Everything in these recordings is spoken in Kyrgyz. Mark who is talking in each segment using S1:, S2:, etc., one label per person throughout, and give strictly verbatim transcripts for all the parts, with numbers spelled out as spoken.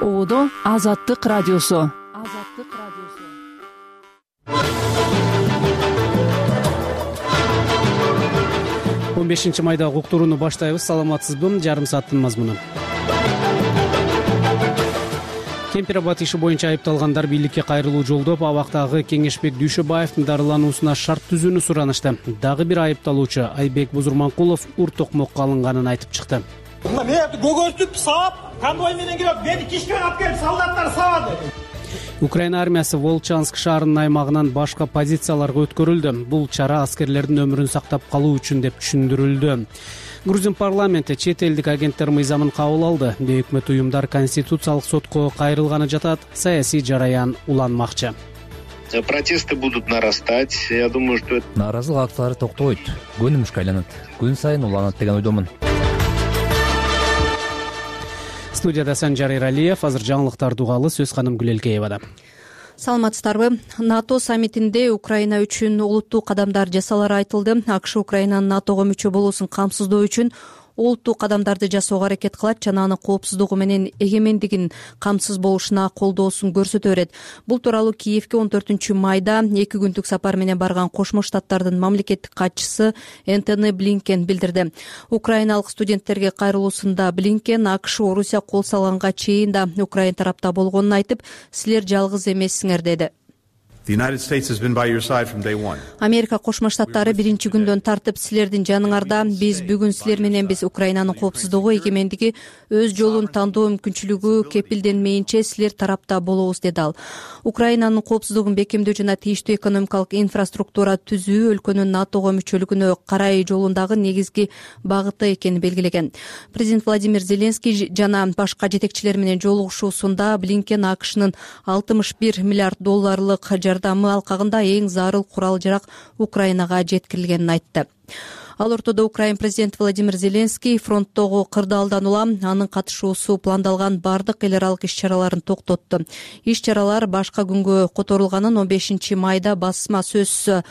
S1: Оодо Азаттык радиосу. Азаттык радиосу.
S2: он бешинчи майда уктурууну баштайбыз. Саламатсызбы? Жарым сааттын мазмуну. Кемпир абад иши боюнча айыпталгандар бийликке кайрылуу жолдоп, абактагы Кеңешбек Дүйшөбаевдин дарылануусуна шарт түзүүнү суранышты. Дагы бир айыпталуучу Айбек Бузурманкулов ур токмокко алынганын айтып чыкты.
S3: Мен көгөртүп саап, конвой менен келип, мени кишкен алып келип солдаттар сабады.
S2: Украина армиясы Волчанск шаарынын аймагынан башка позицияларга өткөрүлдү. Бул чара аскерлердин өмүрүн сактап калуу үчүн деп түшүндүрүлдү. Грузин парламенти чет элдик агенттер мыйзамын кабыл алды. Бейөкмөт уюмдар конституциялык сотко кайрылганы жатат, саясий жараян уланмакчы.
S4: Протесты будут нарастать. Я думаю, что
S5: нааразылык актылары токтобойт, көнүмүшкө айланат. Күн сайын уланат деген ойдомун.
S2: Студияда Санжар Эралиев, азыр жаңылыктарды угалы, сөз ханым Гүлелкеевада.
S6: Саламатсыздарбы? НАТО саммитинде Украина үчүн олуттуу кадамдар жасалары айтылды. АКШ Украинанын НАТОго мүчө болуусун камсыздоо үчүн олуттуу кадамдарды жасоого аракет кылат жана анын коопсуздугу менен эгемендигин камсыз болушуна колдоосун көрсөтө берет. Бул тууралуу Киевке он төртүнчү майда эки күндүк сапар менен барган Кошмо Штаттардын мамлекеттик катчысы Энтони Блинкен билдирди. Украиналык студенттерге кайрылуусунда Блинкен АКШ Орусия кол салганга чейин да Украина тарапта болгонун айтып, силер жалгыз эмессиңер деди. Америка Кошмо Штаттары биринчи күндөн тартып силердин жаныңарда. Биз бүгүн силер мененбиз. Украинанын коопсуздугу, эгемендиги, өз жолун тандоо мүмкүнчүлүгү кепилденмейинче силер тарапта болобуз деди ал. Украинанын коопсуздугун бекемдөө жана тийиштүү экономикалык инфраструктура түзүү өлкөнүн НАТОго мүчөлүгүнө карай жолундагы негизги багыты экенин белгилеген. Президент Владимир Зеленский жана башка жетекчилер менен жолугушуусунда Блинкен АКШнын алтымыш бир миллиард долларлык жардамы алкагында эң зарыл курал-жарак Украинага жеткирилгенин айтты. Ал ортодо Украин президенти Владимир Зеленский фронттогу кырдаалдан улам анын катышуусу пландалган бардык эл аралык иш-чараларын токтотту. Иш-чаралар башка күнгө которулганын он бешинчи майда басма сөз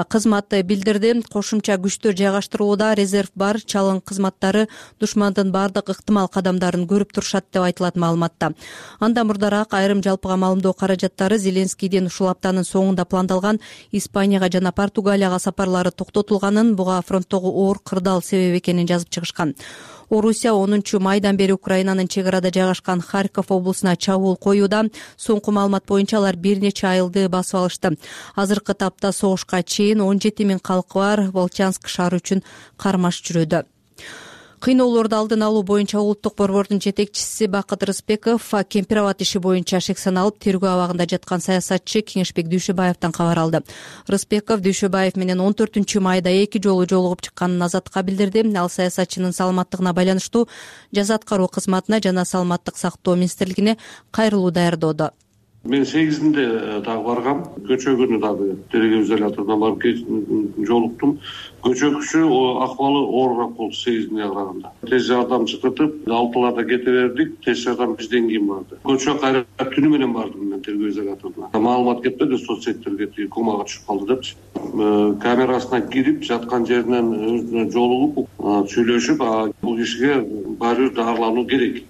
S6: кызматы билдирди. Кошумча күчтөр жайгаштырууда резерв бар, чалым кызматтары душмандын бардык ыктымал кадамдарын көрүп турушат деп айтылат маалыматта. Андан мурдараак айрым жалпыга маалымдоо каражаттары Зеленскийдин ушул аптанын соңунда пландалган Испанияга жана Португалияга сапарлары токтотулганын, буга фронттогу оор кырдаал себеп экенин жазып чыгышкан. Орусия онунчу майдан бери Украинанын чек арада жайгашкан Харьков облусуна чабуул коюуда. Соңку маалымат боюнча алар бир нече айылды басып алышты. Азыркы тапта согушка чейин он жети миң калкы бар Волчанск шаары үчүн кармаш жүрүүдө. Кыйноолорду алдын алуу боюнча улуттук борбордун жетекчиси Бакыт Рыспеков Кемпир абад иши боюнча шек саналып тергөө абагында жаткан саясатчы Кеңешбек Дүйшөбаевден кабар алды. Рыспеков Дүйшөбаев менен он төртүнчү майда эки жолу жолугуп чыкканын Азатка билдирди. Ал саясатчынын саламаттыгына байланыштуу жаза аткаруу кызматына жана саламаттык сактоо министрлигине кайрылуу даярдоодо.
S7: Мен сегизинде дагы баргам. Көчө күнү дагы тергөө изоляторуна барып жолуктум. Көчөкүчү акыбалы оорураак болду сегизине караганда. Тез жардам чакыртып, алтыларда кете бердик. Тез жардам бизден кийин барды. Көчө кайра түнү менен бардым мен тергөө изоляторуна. Маалымат кетпеди, соцсеттерге комага түшүп калды депчи. Камерасына кирип, жаткан жеринен өзүнө жолугуп, сүйлөшүп, бул кишиге баары дарылануу керек.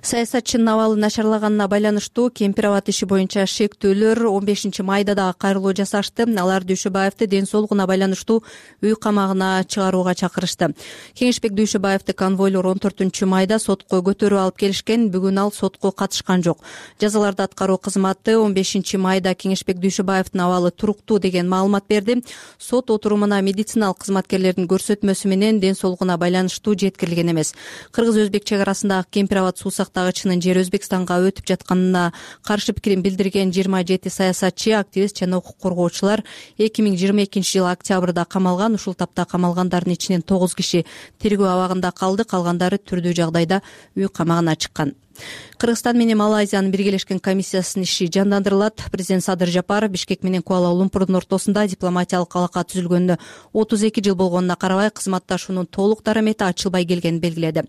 S6: Саясатчынын абалы начарлаганына байланыштуу Кемпир абад иши боюнча шектөөлөр он бешинчи майда дагы кайрылуу жасашты. Алар Дүйшөбаевди ден соолугуна байланыштуу үй камагына чыгарууга чакырышты. Кеңешбек Дүйшөбаевди конвойлор он төртүнчү майда сотко көтөрүп алып келишкен. Бүгүн ал сотко катышкан жок. Жазаларды аткаруу кызматы он бешинчи майда Кеңешбек Дүйшөбаевдин абалы туруктуу деген маалымат берди. Сот отурумуна медициналык кызматкерлердин көрсөтмөсү менен ден соолугуна байланыштуу жеткирилген эмес. Кыргыз-өзбек чек арасындагы Кемпир абад суу сактагычынын жери Өзбекстанга өтүп жатканына каршы пикирин билдирген жыйырма жети саясатчы, активист жана укук коргоочулар эки миң жыйырма экинчи жылы октябрда камалган. Ушул тапта камалгандардын ичинен тогуз киши тергөө абагында калды, калгандары түрдүү жагдайда үй камагына чыккан. Кыргызстан менен Малайзиянын биргелешкен комиссиясынын иши жандандырылат. Президент Садыр Жапаров Бишкек менен Куала-Лумпурдун ортосунда дипломатиялык алака түзүлгөнүнө отуз эки жыл болгонуна карабай кызматташуунун толук дарамети ачылбай келгенин белгиледи.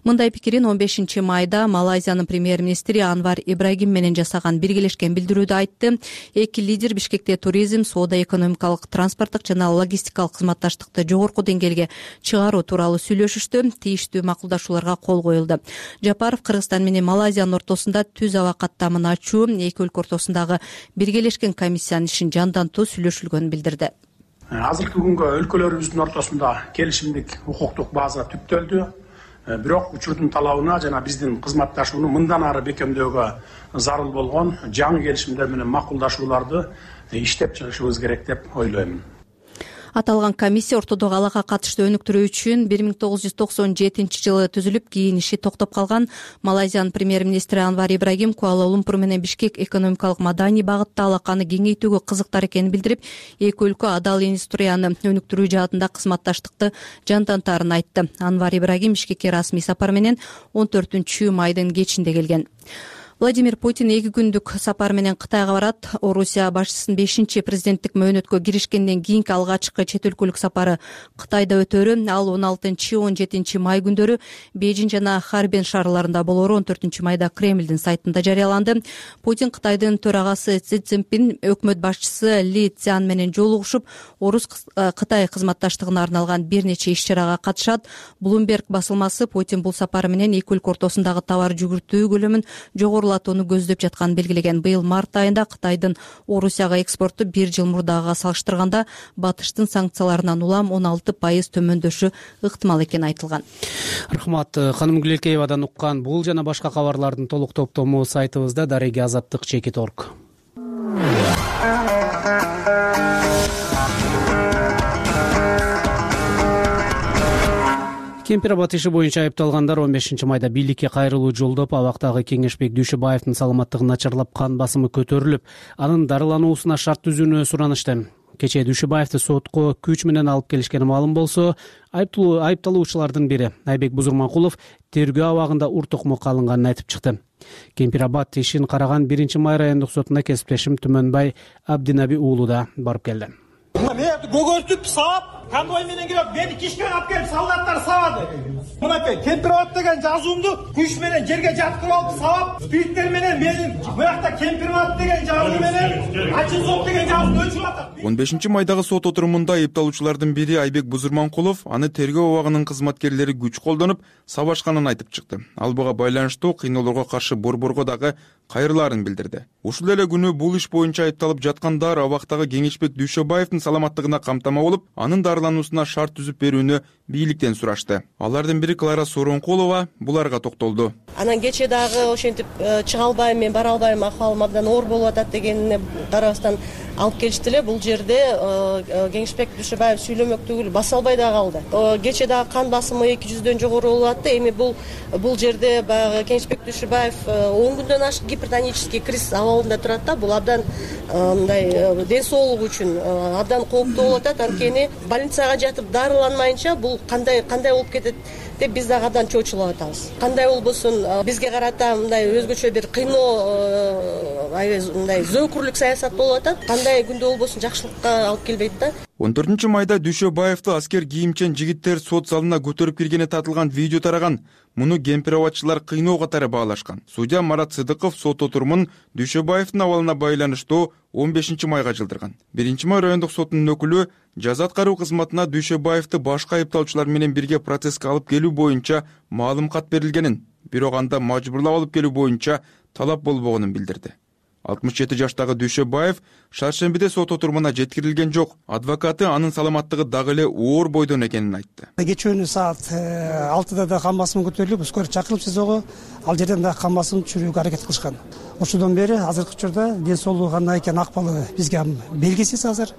S6: Мындай пикирин он бешинчи майда Малайзиянын премьер-министри Анвар Ибрагим менен жасаган биргелешкен билдирүүдө айтты. Эки лидер Бишкекте туризм, соода, экономикалык, транспорттук жана логистикалык кызматташтыкты жогорку деңгээлге чыгаруу тууралуу сүйлөшүштү. Тийиштүү макулдашууларга кол коюлду. Жапаров Кыргызстан менен менен Малайзиянын ортосунда түз аба каттамын ачуу эки өлкө ортосундагы биргелешкен комиссиянын ишин жандантуу сүйлөшүлгөнүн билдирди.
S8: Азыркы күнгө өлкөлөрүбүздүн ортосунда келишимдик укуктук база түптөлдү. Бирок учурдун талабына жана биздин кызматташууну мындан ары бекемдөөгө зарыл болгон жаңы келишимдер менен макулдашууларды иштеп чыгышыбыз керек деп ойлоймун.
S6: Аталган комиссия ортодогу алакка катыштуу өнүктүрүү үчүн бир миң тогуз жүз токсон жетинчи жылы түзүлүп, кийин иши токтоп калган. Малайзиянын премьер-министри Анвар Ибрагим Куала-Лумпур менен Бишкек экономикалык маданий багытта алаканы кеңейтүүгө кызыктар экенин билдирип, эки өлкө адал индустрияны өнүктүрүү жаатында кызматташтыкты жандантаарын айтты. Анвар Ибрагим Бишкекке расмий сапар менен он төртүнчү майдын кечинде келген. Владимир Путин эки күндүк сапар менен Кытайга барат. Орусия башчысынын бешинчи президенттик мөөнөткө киришкенден кийинки алгачкы чет өлкөлүк сапары Кытайда өтөрү. Ал он алтынчы он жетинчи май күндөрү Бейжиң жана Харбин шаарларында болору он төртүнчү майда Кремлдин сайтында жарыяланды. Путин Кытайдын төрагасы Си Цзиньпин, өкмөт башчысы Ли Цзян менен жолугушуп, Орус-Кытай кызматташтыгына арналган бир нече иш-чарага катышат. Bloomberg басылмасы Путин бул сапары менен эки өлкө ортосундагы товар жүгүртүү көлөмүн жогору көздөп жатканын белгилеген. Быйыл март айында Кытайдын Орусияга экспорту бир жыл мурдагыга салыштырганда батыштын санкцияларынан улам он алты пайыз төмөндөшү ыктымал экени айтылган.
S2: Рахмат. Ханым Гүлекеевадан уккан бул жана башка кабарлардын толук топтому сайтыбызда дареги азаттык чекит точка орг. Кемпир аба иши боюнча айыпталгандар он бешинчи майда бийликке кайрылуу жолдоп, абактагы Кеңешбек Дүйшөбаевдин саламаттыгы начарлап, кан басымы көтөрүлүп, анын дарылануусуна шарт түзүүнү суранышты. Кечээ Дүйшөбаевди сотко күч менен алып келишкени маалым болсо, айыпталуучулардын бири Айбек Бузурманкулов тергөө абагында ур токмокко алынганын айтып чыкты. Кемпир аба ишин караган биринчи май райондук сотуна кесиптешим Түмөнбай Абдинаби уулу да барып келди.
S3: Мен көгөртүп саап, конвой менен келип, мени кишке алып келип солдаттар сабады. Мынакей кемпир абат деген жазуумду күч менен жерге жаткырып алып сабап, спирттер менен менин буякта кемпир абат деген жазуу менен ачын сот деген жазууну өчүрүп атат.
S9: он бешинчи майдагы сот отурумунда айыпталуучулардын бири Айбек Бузурманкулов аны тергөө абагынын кызматкерлери күч колдонуп сабашканын айтып чыкты. Ал буга байланыштуу кыйноолорго каршы борборго дагы кайрылаарын билдирди. Ушул эле күнү бул иш боюнча айыпталып жаткандар абактагы Кеңешбек Дүйшөбаевдин саламаттыгына камтама болуп, анын дарылануусуна шарт түзүп берүүнү бийликтен сурашты. Алардын бири Клара Соронкулова буларга токтолду.
S10: Анан кече дагы ошентип чыга албайм, мен бара албайм, акыбалым абдан оор болуп атат дегенине карабастан алып келишти эле. Бул жерде Кеңешбек Дүйшөбаев сүйлөмөк түгүл баса албай да калды. Кече дагы кан басымы эки жүздөн жогору болуп атты. Эми бул бул жерде баягы Кеңешбек Дүйшөбаев он күндөн ашык гипертонический криз абалында турат да. Бул абдан мындай ден соолугу үчүн абдан кооптуу болуп атат. Анткени больницага жатып дарыланмайынча бул кандай кандай болуп кетет деп биз дагы абдан чочулуп атабыз. Кандай болбосун бизге карата мындай өзгөчө бир кыйноо, мындай зөөкүрлүк саясат болуп атат. Кандай күндө болбосун жакшылыкка алып келбейт да.
S9: он төртүнчү майда Дүйшөбаевди аскер кийимчен жигиттер сот залына көтөрүп киргени татылган видео тараган. Муну кемпир абатчылар кыйноо катары баалашкан. Судья Марат Сыдыков сот отурумун Дүйшөбаевдин абалына байланыштуу он бешинчи майга жылдырган. биринчи май райондук сотунун өкүлү жаза аткаруу кызматына Дүйшөбаевди башка айыпталуучулар менен бирге процесске алып келүү боюнча маалым кат берилгенин, бирок анда мажбурлап алып келүү боюнча талап болбогонун билдирди. алтымыш жети жаштагы Дүйшөбаев шаршембиде сот отурумуна жеткирилген жок. Адвокаты анын саламаттыгы дагы эле оор бойдон экенин айтты.
S11: Кечөөнү саат алтыда да кан басымы көтөрүлүп, скорый чакырылып СИЗОго, ал жерден да кан басымын түшүрүүгө аракет кылышкан. Ошодон бери азыркы учурда ден соолугу кандай экени, акыбалы бизге белгисиз азыр.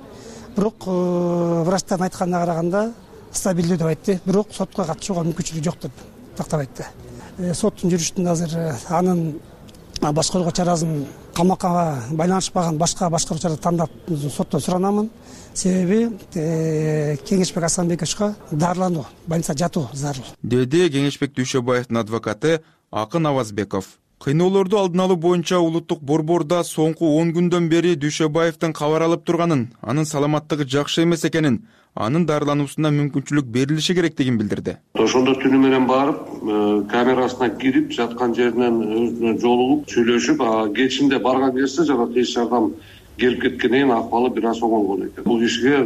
S11: Бирок врачтардын айтканына караганда стабилдүү деп айтты. Бирок сотко катышууга мүмкүнчүлүгү жок деп тактап айтты. Соттун жүрүшүндө азыр анын башкарууга чарасын камакка байланышпаган башка башкаруу чарасы тандап соттон суранамын. Себеби Кеңешбек Асанбековичке дарылануу, больницада жатуу зарыл,
S9: деди Кеңешбек Дүйшөбаевдин адвокаты Акын Авазбеков. Кыйноолорду алдын алуу боюнча улуттук борбордо соңку он күндөн бери Дүйшөбаевдин кабар алып турганын, анын саламаттыгы жакшы эмес экенин, анын дарылануусуна мүмкүнчүлүк берилиши керектигин билдирди.
S7: Ошондо түнү менен барып, камерасына кирип, жаткан жеринен өзүнө жолугуп, сүйлөшүп, кечинде барган кезде жана тез жардам келип кеткенден кийин акыбалы бир аз оңолгон экен. Бул кишиге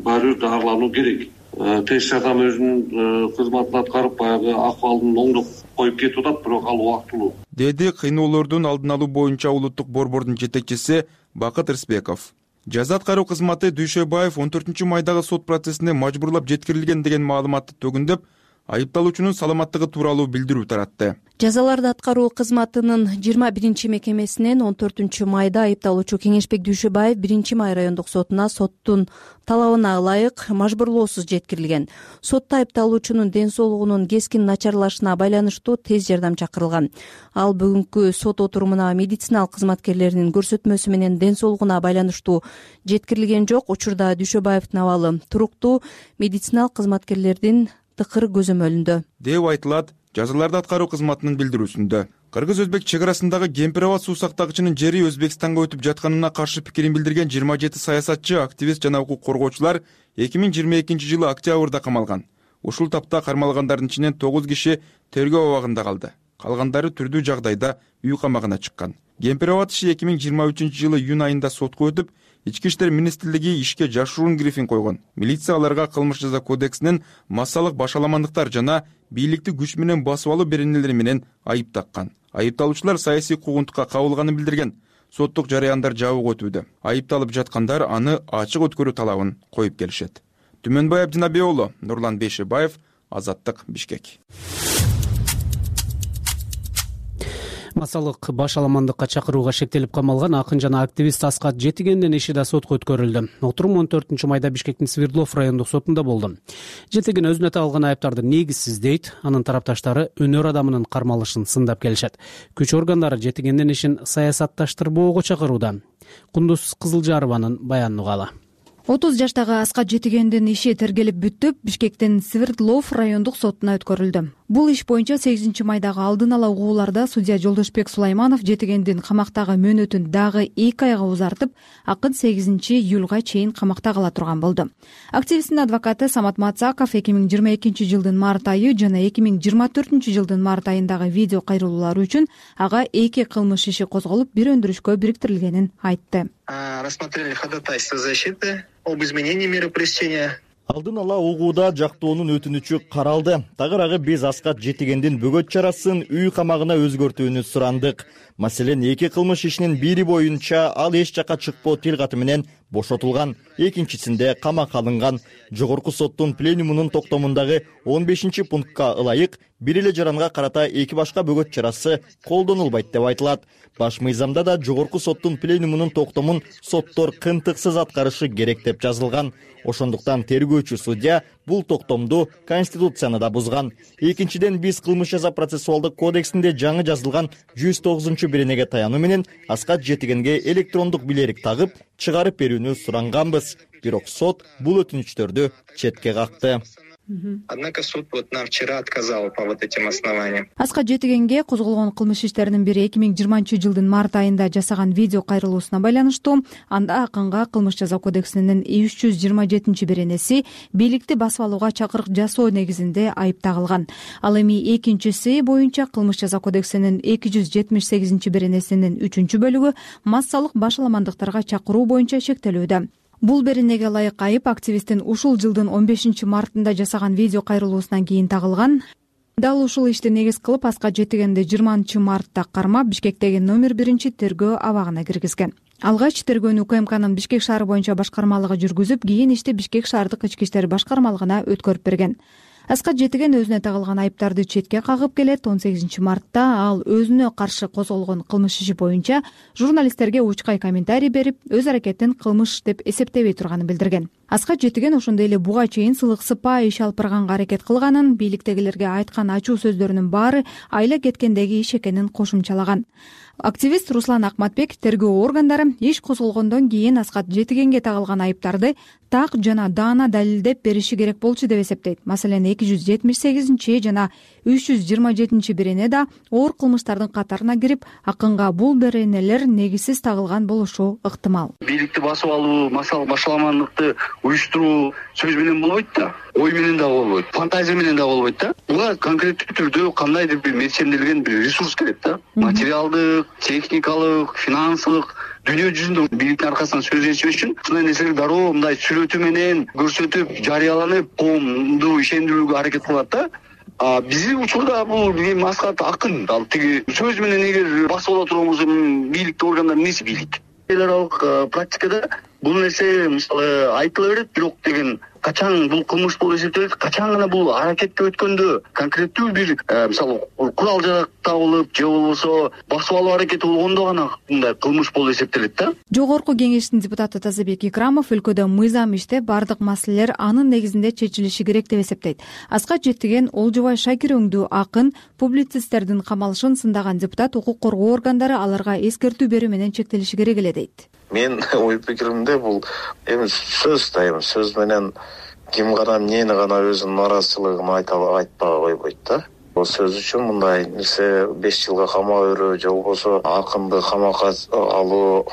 S7: баары бир дарылануу керек. Тез жардам өзүнүн кызматын аткарып баягы акыбалын оңдоп коюп кетип атат, бирок ал убактылуу,
S9: деди кыйноолордун алдын алуу боюнча улуттук борбордун жетекчиси Бакыт Рысбеков. Жаза аткаруу кызматы Дүйшөбаев он төртүнчү майдагы сот процессине мажбурлап жеткирилген деген маалыматты төгүндөп, айыпталуучунун саламаттыгы тууралуу билдирүү таратты.
S6: Жазаларды аткаруу кызматынын жыйырма биринчи мекемесинен он төртүнчү майда айыпталуучу Кеңешбек Дүйшөбаев биринчи май райондук сотуна соттун талабына ылайык мажбурлоосуз жеткирилген. Сотто айыпталуучунун ден соолугунун кескин начарлашына байланыштуу тез жардам чакырылган. Ал бүгүнкү сот отурумуна медициналык кызматкерлеринин көрсөтмөсү менен ден соолугуна байланыштуу жеткирилген жок. Учурда Дүйшөбаевдин абалы туруктуу, медициналык кызматкерлердин тыкыр көзөмөлүндө
S9: деп айтылат жазаларды аткаруу кызматынын билдирүүсүндө. Кыргыз-Өзбек чек арасындагы Кемпир-Аба суу сактагычынын жери Өзбекстанга өтүп жатканына каршы пикирин билдирген жыйырма жети саясатчы, активист жана укук коргоочулар эки миң жыйырма экинчи жылы октябрда камалган. Ушул тапта кармалгандардын ичинен тогуз киши тергөө абагында калды. Калгандары түрдүү жагдайда үй камагына чыккан. Кемпир-Аба иши эки миң жыйырма үчүнчү жылы июнь айында сотко өтүп, Ички иштер министрлиги ишке жашыруун грифин койгон. Милиция аларга кылмыш жаза кодексинин массалык башаламандыктар жана бийликти күч менен басып алуу беренелери менен айып таккан. Айыпталуучулар саясий куугунтукка кабылганын билдирген. Соттук жарыяндар жабык өтүүдө. Айыпталып жаткандар аны ачык өткөрүү талабын коюп келишет. Түмөнбай Абдинабек уулу, Нурлан Бейшебаев, Азаттык, Бишкек.
S2: Массалык башаламандыкка чакырууга шектелип камалган акын жана активист Аскат Жетигендин иши да сотко өткөрүлдү. Отурум он төртүнчү майда Бишкектин Свердлов райондук сотунда болду. Жетиген өзүнө тагылган айыптарды негизсиз дейт. Анын тарапташтары өнөр адамынын кармалышын сындап келишет. Күч органдары Жетигендин ишин саясатташтырбоого чакырууда. Кундуз Кызылжарованын баянын угалы.
S12: отуз жаштагы Аскат Жетигендин иши тергелип бүтүп, Бишкектин Свердлов райондук сотуна өткөрүлдү. Бул иш боюнча сегизинчи майдагы алдын ала угууларда судья Жолдошбек Сулайманов Жетигендин камактагы мөөнөтүн дагы эки айга узартып, акын сегизинчи июлга чейин камакта кала турган болду. Активисттин адвокаты Самат Мацаков эки миң жыйырма экинчи жылдын март айы жана эки миң жыйырма төртүнчү жылдын март айындагы видео кайрылуулары үчүн ага эки кылмыш иши козголуп, бир өндүрүшкө бириктирилгенин айтты.
S13: Рассмотрели ходатайство защиты об изменении меры пресечения.
S14: Алдын ала угууда жактоонун өтүнүчү каралды. Тагыраагы биз Аскат Жетигендин бөгөт чарасын үй камагына өзгөртүүнү сурандык. Маселен, эки кылмыш ишинин бири боюнча ал эч жакка чыкпоо тил каты менен бошотулган, экинчисинде камакка алынган. Жогорку соттун пленумунун токтомундагы он бешинчи пунктка ылайык бир эле жаранга карата эки башка бөгөт чарасы колдонулбайт деп айтылат. Баш мыйзамда да жогорку соттун пленумунун токтомун соттор кынтыксыз аткарышы керек деп жазылган. Ошондуктан тергөөчү судья бул токтомду Конституцияны да бузган. Экинчиден, биз кылмыш жаза процессуалдык кодексинде жаңы жазылган жүз тогузунчу беренеге таянуу менен Аскат Жетигенге электрондук билерик тагып чыгарып берүүнү суранганбыз. Бирок сот бул өтүнүчтөрдү четке какты.
S13: Однако суд вот нам вчера отказал по вот этим основаниям.
S12: Аскат Жетигенге козголгон кылмыш иштеринин бири эки миң жыйырманчы жылдын март айында жасаган видео кайрылуусуна байланыштуу. Анда акынга кылмыш жаза кодексинин үч жүз жыйырма жетинчи беренеси бийликти басып алууга чакырык жасоо негизинде айып тагылган. Ал эми экинчиси боюнча кылмыш жаза кодексинин эки жүз жетимиш сегизинчи беренесинин үчүнчү бөлүгү массалык башаламандыктарга чакыруу боюнча шектелүүдө. Бул беренеге ылайык айып активисттин ушул жылдын он бешинчи мартында жасаган видео кайрылуусунан кийин тагылган. Дал ушул ишти негиз кылып Аскат Жетигенди жыйырманчы мартта кармап Бишкектеги номер биринчи тергөө абагына киргизген. Алгач тергөөнү УКМКнын Бишкек шаары боюнча башкармалыгы жүргүзүп, кийин ишти Бишкек шаардык ички иштер башкармалыгына өткөрүп берген. Аскат Жетиген өзүнө тагылган айыптарды четке кагып келет. он сегизинчи мартта ал өзүнө каршы козголгон кылмыш иши боюнча журналисттерге учкай комментарий берип, өз аракетин кылмыш деп эсептебей турганын билдирген. Аскат Жетиген ошондой эле буга чейин сылык сыпаа иш алып барганга аракет кылганын, бийликтегилерге айткан ачуу сөздөрүнүн баары айла кеткендеги иш экенин кошумчалаган. Активист Руслан Акматбек тергөө органдары иш козголгондон кийин Аскат Жетигенге тагылган айыптарды так жана даана далилдеп бериши керек болчу деп эсептейт. Маселен, эки жүз жетимиш сегизинчи жана үч жүз жыйырма жетинчи берене да оор кылмыштардын катарына кирип, акынга бул беренелер негизсиз тагылган болушу ыктымал.
S13: Бийликти басып алуу, массалык башаламандыкты уюштуруу сөз менен болбойт да, ой менен да болбойт, фантазия менен да болбойт да. Буга конкреттүү түрдө кандайдыр бир мекчемделген бир ресурс керек да. Материалдык, техникалык, финансылык дүйнө жүзүндө бийликтин аркасынан сөз ичпеш үчүн ушундай нерселер дароо мындай сүрөтү менен көрсөтүп жарыяланып коомду ишендирүүгө аракет кылат да. Биздин учурда бул эми Аскат акын, ал тиги сөз менен эгер басып ала турган болсо бийликтик органдар эмнеси бийлик? Эл аралык практикада бул нерсе мисалы айтыла берет, бирок деген качан бул кылмыш болуп эсептелет, качан гана бул аракетке өткөндө конкреттүү бир мисалы курал жарак табылып же болбосо басып алуу аракети болгондо гана мындай кылмыш болуп эсептелет да.
S12: Жогорку кеңештин депутаты Тазабек Икрамов өлкөдө мыйзам иштеп, бардык маселелер анын негизинде чечилиши керек деп эсептейт. Аскат Жетиген, Олжобай Шакир өңдүү акын, публицисттердин камалышын сындаган депутат укук коргоо органдары аларга эскертүү берүү менен чектелиши керек эле дейт.
S15: Мен ой пикиримде бул эми сөз да эми сөз менен ким гана эмнени гана өзүнүн нааразычылыгын айта айтпай койбойт да. Бул сөз үчүн мындай нерсе беш жылга камап берүү же болбосо акынды камакка алуу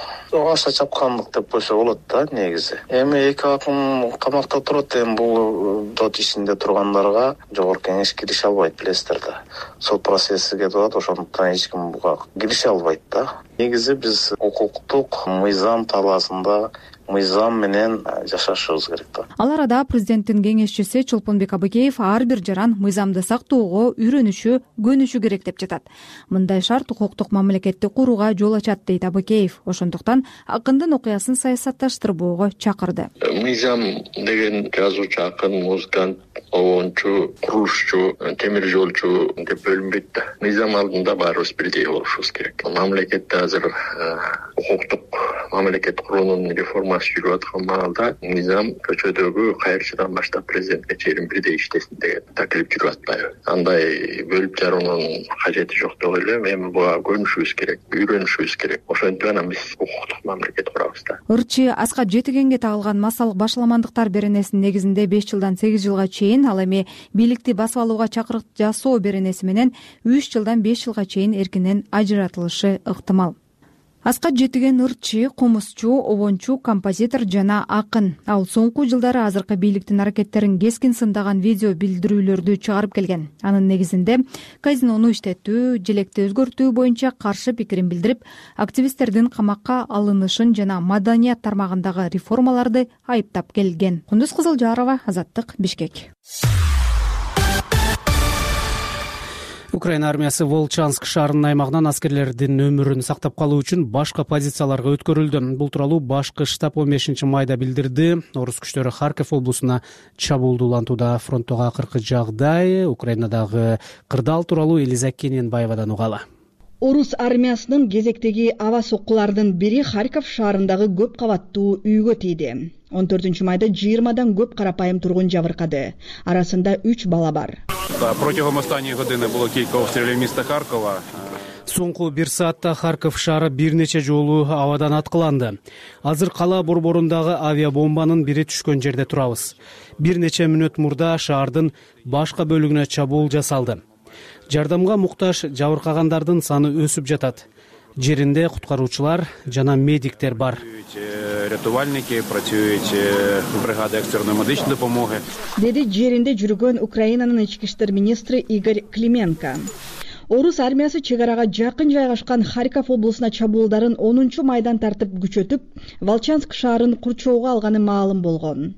S15: аша чапкандык деп койсо болот да негизи. Эми эки акын камакта турат, эми бул сот ишинде тургандарга жогорку кеңеш киреше албайт, билесиздер да. Сот процесси кетип атат, ошондуктан эч ким буга киреше албайт да. Негизи биз укуктук мыйзам талаасында мыйзам менен жашашыбыз керек да.
S12: Ал арада президенттин кеңешчиси Чолпонбек Абыкеев ар бир жаран мыйзамды сактоого үйрөнүшү, көнүшү керек деп жатат. Мындай шарт укуктук мамлекетти курууга жол ачат дейт Абыкеев. Ошондуктан акындын окуясын саясатташтырбоого чакырды.
S16: Мыйзам деген жазуучу, акын, музыкант, обончу, курулушчу, темир жолчу деп бөлүнбөйт да. Мыйзам алдында баарыбыз бирдей болушубуз керек. Мамлекетте азыр укуктук мамлекет куруунун реформасы жүрүп аткан маалда мыйзам көчөдөгү кайрчыдан баштап президентке чейин бирдей иштесин деген таклип жүрүп атпайбы? Андай бөлүп жаруунун кажети жок деп ойлойм. Эми буга көнүшүбүз керек, үйрөнүшүбүз керек. Ошентип гана биз укуктук мамлекет курабыз да.
S12: Ырчы Аскат Жетигенге тагылган масалык башаламандыктар беренесинин негизинде беш жылдан сегиз жылга чейин, ал эми бийликти басып алууга чакырык жасоо беренеси менен үч жылдан беш жылга чейин эркинен ажыратылышы ыктымал. Аскат Жетиген ырчы, комузчу, обончу, композитор жана акын. Ал соңку жылдары азыркы бийликтин аракеттерин кескин сындаган видео билдирүүлөрдү чыгарып келген. Анын негизинде казинону иштетүү, желекти өзгөртүү боюнча каршы пикирин билдирип, активисттердин камакка алынышын жана маданият тармагындагы реформаларды айыптап келген. Кундуз Кызылжарова, Азаттык, Бишкек.
S2: Украина армиясы Волчанск шаарынын аймагынан аскерлердин өмүрүн сактап калуу үчүн башка позицияларга өткөрүлдү. Бул тууралуу башкы штаб он бешинчи майда билдирди. Орус күчтөрү Харьков облусуна чабуулду улантууда. Фронттогу акыркы жагдай, Украинадагы кырдаал тууралуу Элиза Кененбаевадан угалы.
S17: Орус армиясынын кезектеги аба соккулардын бири Харьков шаарындагы көп кабаттуу үйгө тийди. он төртүнчү майда жыйырмадан көп карапайым тургун жабыркады. Арасында үч бала бар.
S18: Протягом останньої години було кілька обстрілів міста Харкова.
S2: Соңку бир саатта Харьков шаары бир нече жолу абадан аткыланды. Азыр кала борборундагы авиабомбанын бири түшкөн жерде турабыз. Бир нече мүнөт мурда шаардын башка бөлүгүнө чабуул жасалды. Жардамга муктаж жабыркагандардын саны өсүп жатат. Жеринде куткаруучулар жана медиктер бар.
S18: Рятувальники працюють бригади екстреної медичної допомоги.
S17: Деди жеринде жүргөн Украинанын ички иштер министри Игорь Клименко. Орус армиясы чек арага жакын жайгашкан Харьков облусуна чабуулдарын онунчу майдан тартып күчөтүп, Волчанск шаарын курчоого алганы маалым болгон.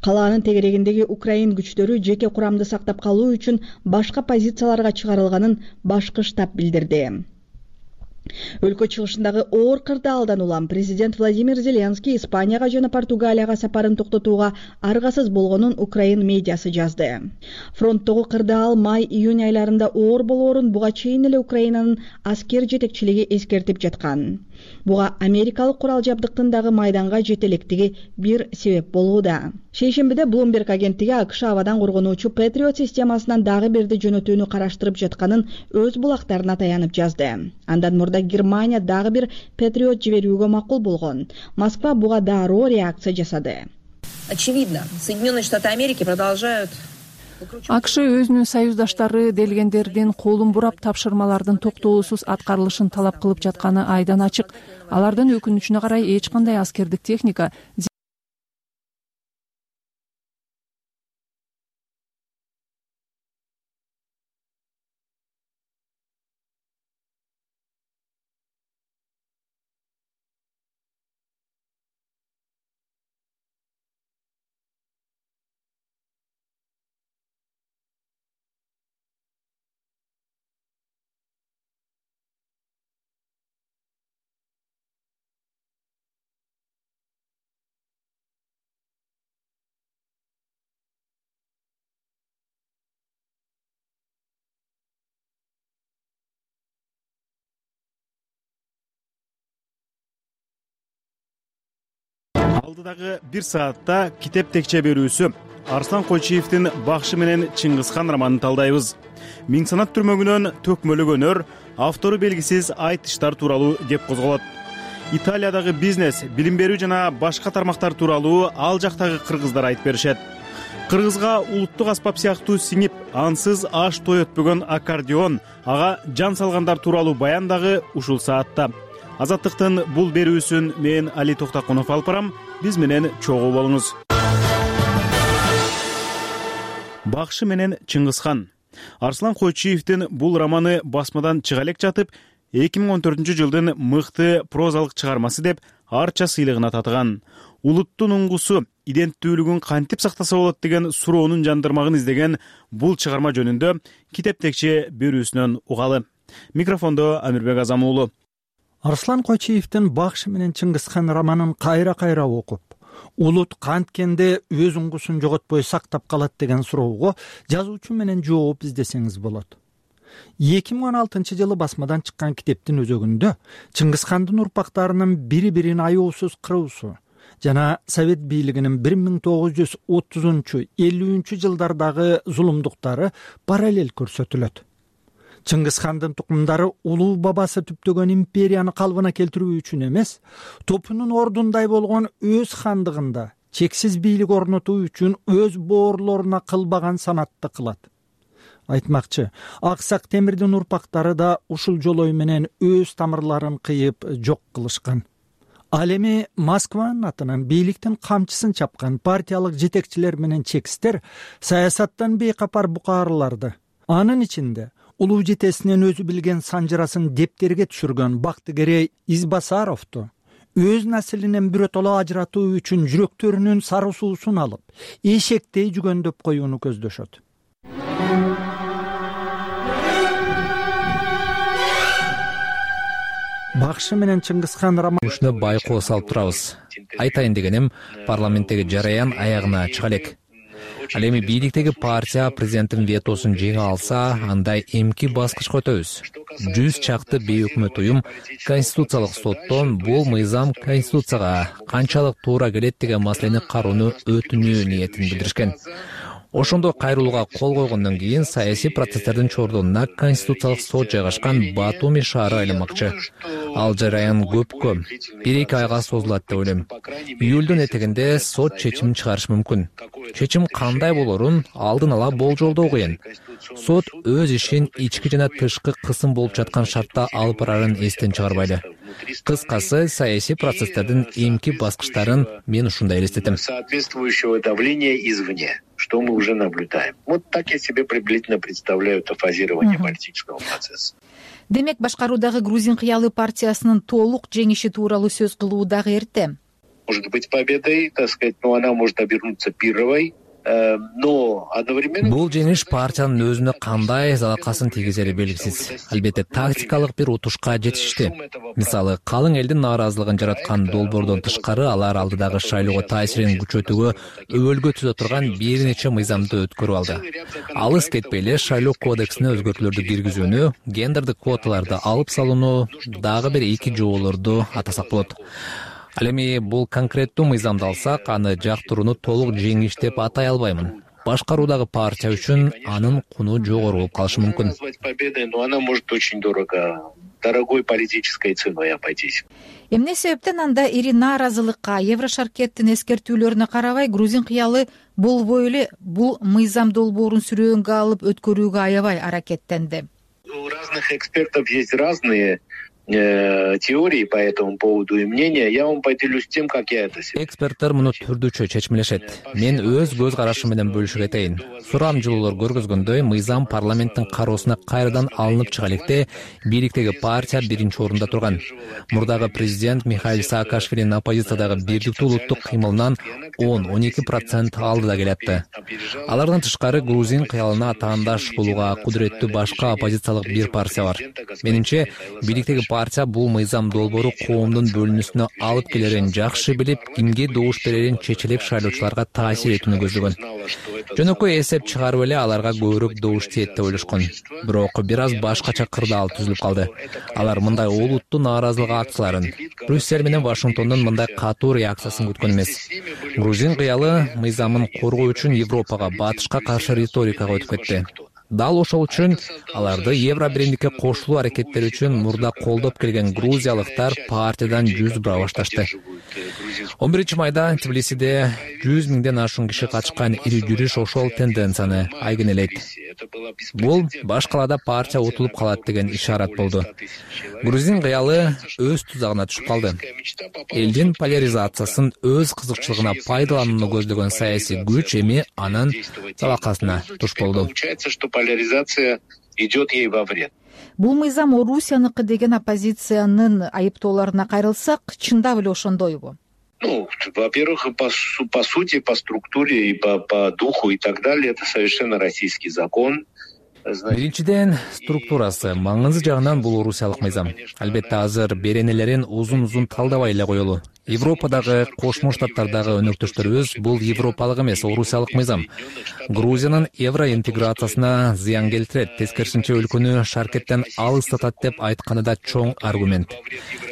S17: Калаанын тегерегиндеги Украин күчтөрү жеке курамды сактап калуу үчүн башка позицияларга чыгарылганын башкы штаб билдирди. Өлкө чыгышындагы оор кырдаалдан улам президент Владимир Зеленский Испанияга жана Португалияга сапарын токтотууга аргасыз болгонун Украин медиасы жазды. Фронттогу кырдаал май-июнь айларында оор болоорун буга чейин эле Украинанын аскер жетекчилиги эскертип жаткан. Буга америкалык курал жабдыктын дагы майданга жете электиги бир себеп болууда. Шейшембиде Bloomberg агенттиги АКШ абадан коргонуучу Patriot системасынан дагы бирди жөнөтүүнү караштырып жатканын өз булактарына таянып жазды. Андан мурда Германия дагы бир Patriot жиберүүгө макул болгон. Москва буга дароо реакция жасады.
S19: Очевидно, Соединенные Штаты Америки продолжают
S1: АКШ өзүнүн союздаштары делгендердин колун бурап тапшырмалардын токтоосуз аткарылышын талап кылып жатканы айдан ачык. Алардын өкүнүчүнө карай эч кандай аскердик техника
S20: Алдыдагы бир саатта китеп текче берүүсү Арслан Койчиевдин Бакшы менен Чыңгызхан романын талдайбыз. Миң санат түрмөгүнөн төкмөлөгөнөр, автору белгисиз айтыштар тууралуу кеп козголот. Италиядагы бизнес, билим берүү жана башка тармактар тууралуу ал жактагы кыргыздар айтып беришет. Кыргызга улуттук аспап сыяктуу сиңип, ансыз аш той өтпөгөн аккордеон, ага жан салгандар тууралуу баян дагы ушул саатта. Азаттыктын бул берүүсүн мен Али Токтакунов алып барам. Биз менен чогуу болуңуз. Бакшы менен Чыңгызхан. Арслан Койчиевдин бул романы басмадан чыга элек жатып, эки миң он төртүнчү жылдын мыкты прозалык чыгармасы деп Арча сыйлыгына татыган. Улуттун уңгусу, иденттүүлүгүн кантип сактаса болот деген суроонун жандырмагын издеген бул чыгарма жөнүндө китеп текче берүүсүнөн угалы. Микрофондо Амирбек Азам уулу.
S21: Арслан Койчиевдин Бакшы менен Чыңгызхан романын кайра-кайра окуп, улут канткенде өз уңгусун жоготпой сактап калат деген суроого жазуучу менен жооп издесеңиз болот. эки миң он алтынчы жылы басмадан чыккан китептин өзөгүндө Чыңгызхандын урпактарынын бири-бирин аяосуз кыруусу жана Совет бийлигинин бир миң тогуз жүз отузунчу элүүнчү жылдардагы зулумдуктары параллель көрсөтүлөт. Чыңгызхандын тукумдары улуу бабасы түптөгөн империяны калыбына келтирүү үчүн эмес, топунун ордундай болгон өз хандыгында чексиз бийлик орнотуу үчүн өз боорлоруна кылбаган санатты кылат. Айтмакчы, Аксак Темирдин урпактары да ушул жолой менен өз тамырларын кыйып жок кылышкан. Ал эми Москванын атынан бийликтин камчысын чапкан партиялык жетекчилер менен чекистер саясаттан бейкапар букаарларды, анын ичинде улуу жетесинен өзү билген санжырасын дептерге түшүргөн Бактыгерей Избасаровду өз наслинен биротоло ажыратуу үчүн жүрөктөрүнүн сары суусун алып, эшектей жүгөндөп коюуну көздөшөт. Бакшы менен Чыңгызхан романы
S5: байкоо салып турабыз. Айтайын дегеним, парламенттеги жараян аягына чыга элек. Ал эми бийликтеги партия президенттин ветосун жеңе алса, андай эмки баскычка өтөбүз. Жүз чакты бейөкмөт уюм Конституциялык соттон бул мыйзам Конституцияга канчалык туура келет деген маселени кароону өтүнүү ниетин билдиришкен. Ошондо кайрылууга кол койгондон кийин саясий процесстердин чордонуна Конституциялык сот жайгашкан Батуми шаары айланмакчы. Ал жараян көпкө, бир-эки айга созулат деп ойлойм. Июлдун этегинде сот чечимин чыгарышы мүмкүн. Чечим кандай болорун алдын ала болжолдоо кыйын. Сот өз ишин ички жана тышкы кысым болуп жаткан шартта алып барарын эстен чыгарбайды. Кыскасы, саясий процесстердин эмки баскычтарын мен ушундай элестетем.
S4: Соответствующего давления извне, что мы уже наблюдаем. Вот так я себе приблизительно представляю это фазирование политического процесса.
S12: Демек, башкаруудагы Грузин кыялы партиясынын толук жеңиши тууралуу сөз кылуу дагы эрте.
S4: Может быть победой, так сказать, но она может обернуться пирровой. Но одновременно
S5: бул жеңиш партиянын өзүнө кандай залакасын тийгизери белгисиз. Албетте тактикалык бир утушка жетишти. Мисалы, калың элдин нааразылыгын жараткан долбоордон тышкары алар алдыдагы шайлоого таасирин күчөтүүгө өбөлгө түзө турган бир нече мыйзамды өткөрүп алды. Алыс кетпей эле шайлоо кодексине өзгөртүүлөрдү киргизүүнү, гендердик квоталарды алып салууну, дагы бир эки жоолорду атасак болот. Ал эми бул конкреттүү мыйзамды алсак, аны жактырууну толук жеңиш деп атай албаймын. Башкаруудагы партия үчүн анын куну жогору болуп калышы мүмкүн.
S4: Но она может очень дорого, дорогой политической ценой обойтись.
S12: Эмне себептен анда ири нааразылыкка, Еврошаркеттин эскертүүлөрүнө карабай, Грузин кыялы болбой эле бул мыйзам долбоорун сүрөөнгө алып өткөрүүгө аябай аракеттенди.
S4: У разных экспертов есть разные теории по этому поводу и мнения. Я вам поделюсь тем, как я это себе.
S5: Эксперттер муну түрдүчө чечмелешет. Мен өз көз карашым менен бөлүшүп кетейин. Сурам жылуулар көргөзгөндөй, мыйзам парламенттин кароосуна кайрадан алынып чыга электе бийликтеги партия биринчи орунда турган. Мурдагы президент Михаил Саакашвилинин оппозициядагы бирдиктүү улуттук кыймылынан он он эки процент алдыда келатты. Алардан тышкары Грузин кыялына атаандаш болууга кудуреттүү башка оппозициялык бир партия бар. Менимче, бийликтеги партия бул мыйзам долбоору коомдун бөлүнүүсүнө алып келерин жакшы билип, кимге добуш берерин чечилип шайлоочуларга таасир этүүнү көздөгөн. Жөнөкөй эсеп чыгарып эле аларга көбүрөөк добуш тиет деп ойлошкон. Бирок бир аз башкача кырдаал түзүлүп калды. Алар мындай олуттуу нааразылык акцияларын, Брюссель менен Вашингтондун мындай катуу реакциясын күткөн эмес. Грузин кыялы мыйзамын коргоо үчүн Европага, батышка каршы риторикага өтүп кетти. Дал ошол үчүн аларды евро биримдикке кошулуу аракеттери үчүн мурда колдоп келген грузиялыктар партиядан жүз бура башташты. он биринчи майда Тбилисиде жүз миңден ашуун киши катышкан ири жүрүш ошол тенденцияны айгинелейт. Бул баш калаада партия утулуп калат деген ишарат болду. Грузин кыялы өз тузагына түшүп калды. Элдин поляризациясын өз кызыкчылыгына пайдаланууну көздөгөн саясий күч эми анын талакасына туш болду.
S4: Поляризация идет ей во вред.
S12: Бул мыйзам Орусияныкы деген оппозициянын айыптоолоруна кайрылсак, чындап эле ошондойбу?
S4: Ну, во-первых, по, по сути, по структуре и по, по духу и так далее, это совершенно российский закон.
S5: Биринчиден, структурасы, маңызы жагынан бул орусиялык мыйзам. Албетте азыр беренелерин узун-узун талдабай эле коелу. Европадагы, Кошмо Штаттардагы өнөктөштөрүбүз бул европалык эмес, орусиялык мыйзам. Грузиянын евро интеграциясына зыян келтирет, тескерисинче өлкөнү шаркеттен алыстатат деп айтканы да чоң аргумент.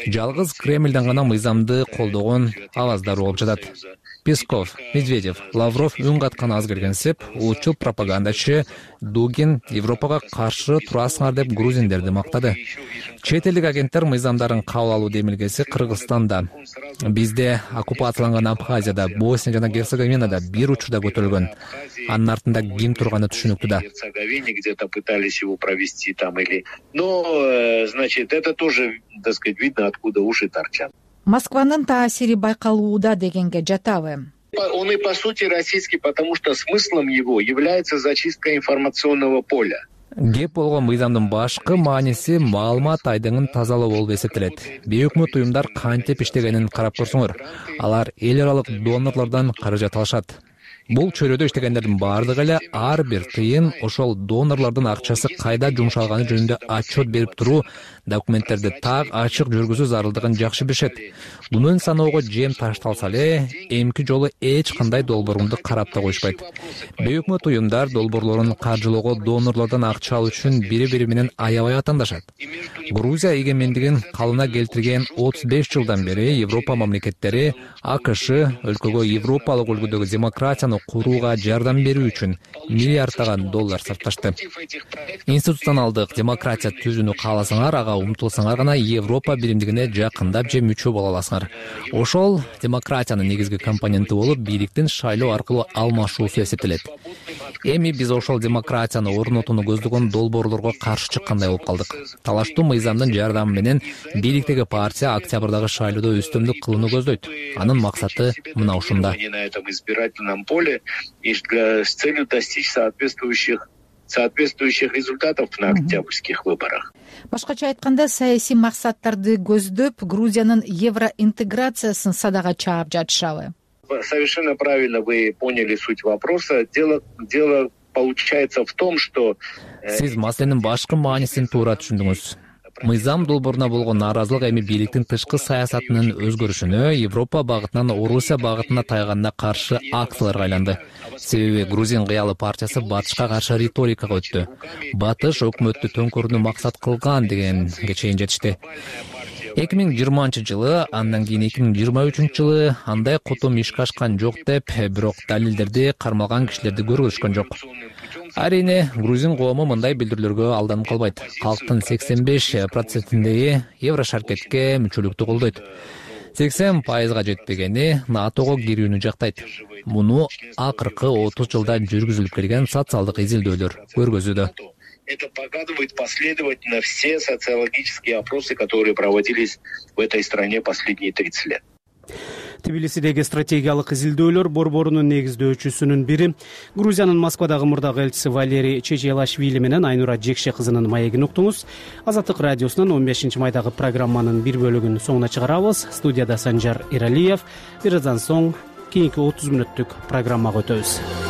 S5: Жалгыз Кремлден гана мыйзамды колдогон аваздар болуп жатат. Песков, Медведев, Лавров үн каткан аз келгенсип, улутчул пропагандачы Дугин Европага каршы турасыңар деп грузиндерди мактады. Чет элдик агенттер мыйзамдарын кабыл алуу демилгеси Кыргызстанда, бизде оккупацияланган Абхазияда, Босния жана Герцеговинада бир учурда көтөрүлгөн. Анын артында ким турганы түшүнүктүү да.
S4: Где-то пытались его провести там или... Но, значит, это тоже, так сказать, видно, откуда уши торчат.
S12: Москванын таасири байкалууда дегенге жатабы?
S4: Он и по сути российский, потому что смыслом его является зачистка информационного поля.
S5: Кеп болгон мыйзамдын башкы мааниси маалымат айдыңын тазалоо болуп эсептелет. Бейөкмөт уюмдар кантип иштегенин карап көрсөңөр. Алар эл аралык донорлордон каражат алышат. Бул чөйрөдө иштегендердин баардыгы эле ар бир тыйын ошол донорлордун акчасы кайда жумшалганы жөнүндө отчет берип туруу, документтерди так ачык жүргүзүү зарылдыгын жакшы билишет. Мунун саноого жем ташталса эле, эмки жолу эч кандай долбоорунду карап да коюшпайт. Бейөкмөт уюмдар долбоорлорун каржылоого донорлордон акча алуу үчүн бири-бири менен аябай атаандашат. Грузия эгемендигин калыбына келтирген отуз беш жылдан бери Европа мамлекеттери АКШ өлкөгө европалык үлгүдөгү демократияны курууга жардам берүү үчүн миллиарддаган доллар сарпташты. Институционалдык демократия түзүүнү кааласаңар, ага умтулсаңар гана Европа биримдигине жакындап же мүчө боло аласыңар. Ошол демократиянын негизги компоненти болуп, бийликтин шайлоо аркылуу алмашуусу эсептелет. Эми биз ошол демократияны орнотууну көздөгөн долбоорлорго каршы чыккандай болуп калдык. Талаштуу мыйзамдын жардамы менен бийликтеги партия октябрдагы шайлоодо үстөмдүк кылууну көздөйт. Анын максаты мына ушунда.
S4: И для, с целью достичь соответствующих соответствующих результатов на октябрьских выборах.
S12: Башкача айтканда, саясий максаттарды көздөп, Грузиянын евроинтеграциясын садага чаап жатышабы?
S4: Совершенно правильно вы поняли суть вопроса. Дело, дело получается в том, что...
S5: Сиз маселенин башкы маанисин туура түшүндүңүз. Мыйзам долбооруна болгон нааразылык эми бийликтин тышкы саясатынын өзгөрүшүнө, Европа багытынан Орусия багытына тайганына каршы акцияларга айланды. Себеби Грузин кыялы партиясы батышка каршы риторикага өттү. Батыш өкмөттү төңкөрүүнү максат кылган дегенге чейин жетишти. эки миң жыйырманчы жылы, андан кийин эки миң жыйырма үчүнчү жылы андай котум ишке ашкан жок деп, бирок далилдерди кармалган кишилерди көргөзүшкөн жок. Арине, грузин коому мындай билдирүүлөргө алданып калбайт. Калктын сексен беш процентиндеги Еврошаркетке мүчөлүктү колдойт. сексен пайызга жетпегени НАТОго кирүүнү жактайт. Муну акыркы отуз жылда жүргүзүлүп келген социалдык изилдөөлөр көргөзүүдө.
S4: Это показывает последовательно все социологические опросы, которые проводились в этой стране последние тридцать лет.
S2: Тбилисидеги стратегиялык изилдөөлөр борборунун негиздөөчүсүнүн бири Грузиянын Москвадагы мурдагы элчиси Валерий Чечелашвили менен Айнура Жекше кызынын маегин уктуңуз. Азаттык радиосунун он бешинчи майдагы программанын бир бөлүгүн соңуна чыгарабыз. Студияда Санжар Иралиев. Бир аздан соң кийинки отуз мүнөттүк программага өтөбүз.